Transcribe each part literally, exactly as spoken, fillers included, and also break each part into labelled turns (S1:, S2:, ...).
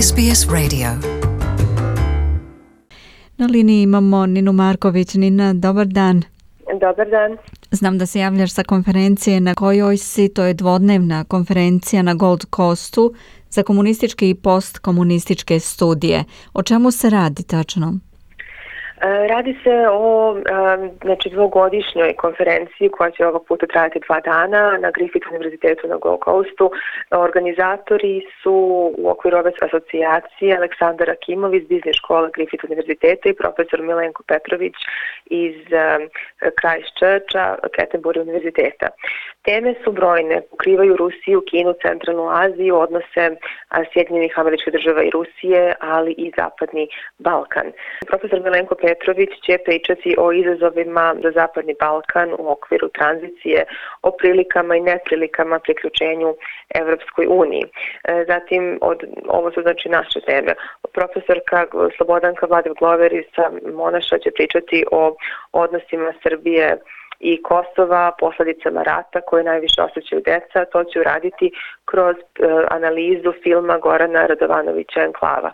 S1: S B S Radio.
S2: Na liniji imamo Ninu Marković. Nina, dobar dan.
S3: Dobar dan.
S2: Znam da se javljaš sa konferencije na kojoj si, to je dvodnevna konferencija na Gold Coastu za komunističke i postkomunističke studije. O čemu se radi tačno?
S3: Radi se o znači, dvogodišnjoj konferenciji koja će ovog puta trajati dva dana na Griffith univerzitetu na Gold Coastu. Organizatori su u okviru ove asocijacije Aleksandar Akimov iz biznis škole Griffith univerziteta i profesor Milenko Petrović iz Christchurcha, Canterbury univerziteta. Teme su brojne, pokrivaju Rusiju, Kinu, Centralnu Aziju, odnose Sjedinjenih Američkih Država i Rusije, ali i Zapadni Balkan. Profesor Milenko Petrović će pričati o izazovima za Zapadni Balkan u okviru tranzicije, o prilikama i neprilikama priključenju Evropskoj uniji. Zatim, od, ovo su znači naše teme. Profesorka Slobodanka Vladiv-Glover iz Monaša će pričati o odnosima Srbije i Kosova, posledicama rata koje najviše osjećaju deca. To će uraditi kroz uh, analizu filma Gorana Radovanovića Enklava.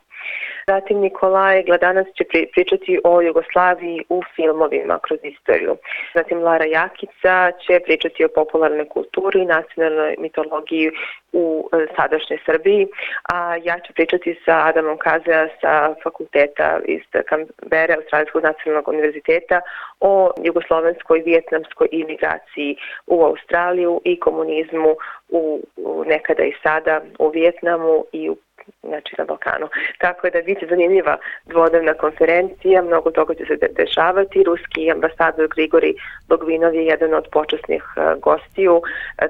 S3: Zatim Nikolaj Gladanac će pričati o Jugoslaviji u filmovima kroz istoriju. Zatim Lara Jakica će pričati o popularnoj kulturi i nacionalnoj mitologiji u sadašnjoj Srbiji, a ja ću pričati sa Adamom Kazea sa fakulteta iz Kambere, Australijskog nacionalnog univerziteta, o jugoslovenskoj, vijetnamskoj imigraciji u Australiju i komunizmu u, u nekada i sada u Vijetnamu i u znači na Balkanu. Tako je da biće zanimljiva dvodnevna konferencija, mnogo toga će se dešavati. Ruski ambasador Grigori Logvinov je jedan od počasnih uh, gostiju, uh,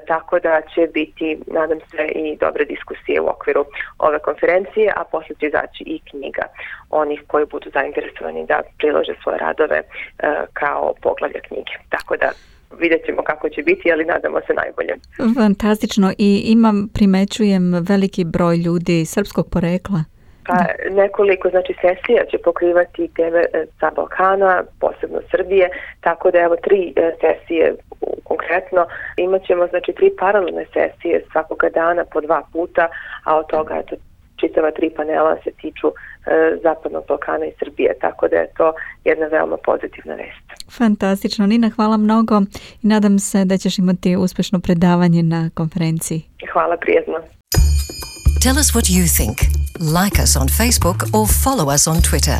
S3: tako da će biti, nadam se, i dobre diskusije u okviru ove konferencije, a posle će izaći i knjiga onih koji budu zainteresovani da prilože svoje radove uh, kao poglavlja knjige. Tako da vidjet ćemo kako će biti, ali nadamo se najbolje.
S2: Fantastično. I imam, primećujem, veliki broj ljudi srpskog porekla.
S3: Pa nekoliko znači sesija će pokrivati teme sa Balkana, posebno Srbije, tako da evo tri sesije konkretno. Imaćemo znači tri paralelne sesije svakoga dana po dva puta, a od toga eto čitava tri panela se tiču e, Zapadnog Balkana i Srbije, tako da je to jedna veoma pozitivna vest.
S2: Fantastično. Nina, hvala mnogo i nadam se da ćeš imati uspešno predavanje na konferenciji.
S3: Hvala, prijatno.
S1: Tell us what you think. Like us on Facebook or follow us on Twitter.